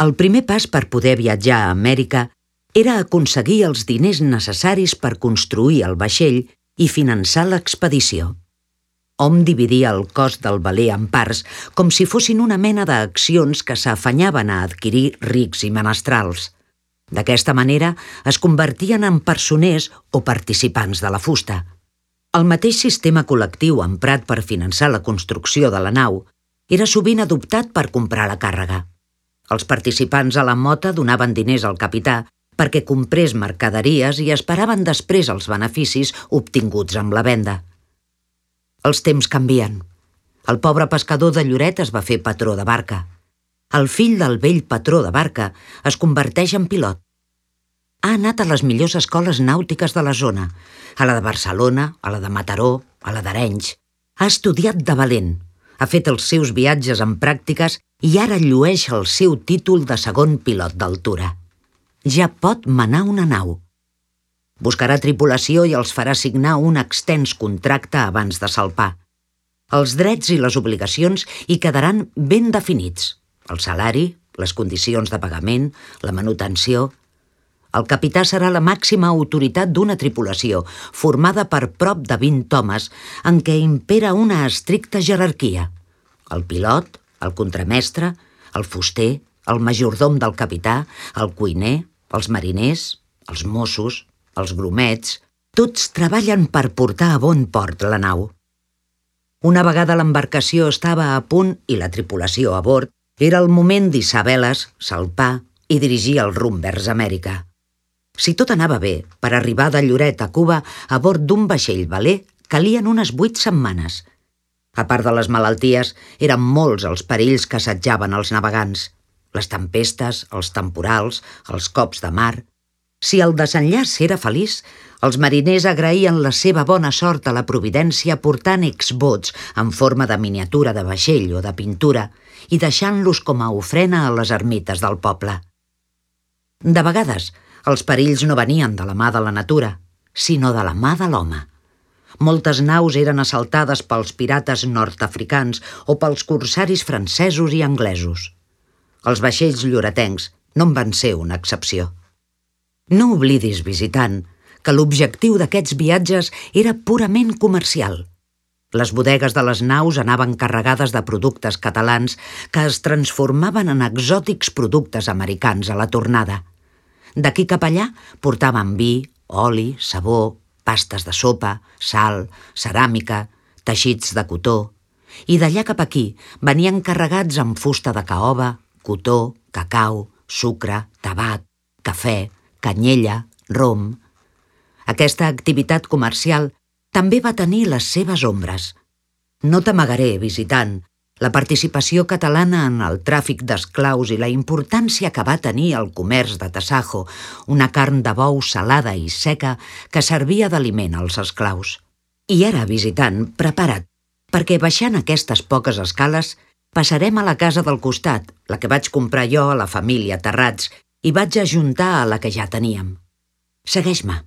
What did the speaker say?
El primer pas per poder viatjar a Amèrica era aconseguir els diners necessaris per construir el vaixell i finançar l'expedició. Hom dividia el cost del veler en parts com si fossin una mena d'accions que s'afanyaven a adquirir rics i menestrals. D'aquesta manera es convertien en personers o participants de la fusta. El mateix sistema col·lectiu emprat per finançar la construcció de la nau era sovint adoptat per comprar la càrrega. Els participants a la mota donaven diners al capità perquè comprés mercaderies i esperaven després els beneficis obtinguts amb la venda. Els temps canvien. El pobre pescador de Lloret es va fer patró de barca. El fill del vell patró de barca es converteix en pilot. Ha anat a les millors escoles nàutiques de la zona, a la de Barcelona, a la de Mataró, a la d'Arenys. Ha estudiat de valent, ha fet els seus viatges en pràctiques i ara llueix el seu títol de segon pilot d'altura. Ja pot manar una nau. Buscarà tripulació i els farà signar un extens contracte abans de salpar. Els drets i les obligacions hi quedaran ben definits. El salari, les condicions de pagament, la manutenció. El capità serà la màxima autoritat d'una tripulació, formada per prop de 20 homes, en què impera una estricta jerarquia. El pilot, el contramestre, el fuster, el majordom del capità, el cuiner, els mariners, els mossos, els grumets, tots treballen per portar a bon port la nau. Una vegada l'embarcació estava a punt i la tripulació a bord, era el moment d'hissar veles, salpar i dirigir el rumb vers Amèrica. Si tot anava bé, per arribar de Lloret a Cuba a bord d'un vaixell veler calien unes 8 setmanes. A part de les malalties, eren molts els perills que assetjaven els navegants. Les tempestes, els temporals, els cops de mar. Si el desenllaç era feliç, els mariners agraïen la seva bona sort a la providència portant exbots en forma de miniatura de vaixell o de pintura i deixant-los com a ofrena a les ermites del poble. De vegades, els perills no venien de la mà de la natura, sinó de la mà de l'home. Moltes naus eren assaltades pels pirates nord-africans o pels corsaris francesos i anglesos. Els vaixells lloretencs no en van ser una excepció. No oblidis, visitant, que l'objectiu d'aquests viatges era purament comercial. Les bodegues de les naus anaven carregades de productes catalans que es transformaven en exòtics productes americans a la tornada. D'aquí cap allà portaven vi, oli, sabó, pastes de sopa, sal, ceràmica, teixits de cotó, i d'allà cap aquí venien carregats amb fusta de caoba, cotó, cacau, sucre, tabac, cafè, canyella, rom. Aquesta activitat comercial també va tenir les seves ombres. No t'amagaré, visitant, la participació catalana en el tràfic d'esclaus i la importància que va tenir el comerç de tasajo, una carn de bou salada i seca que servia d'aliment als esclaus. I ara, visitant, prepara't, perquè baixant aquestes poques escales passarem a la casa del costat, la que vaig comprar jo a la família Terrats, i vaig ajuntar a la que ja teníem. Segueix-me.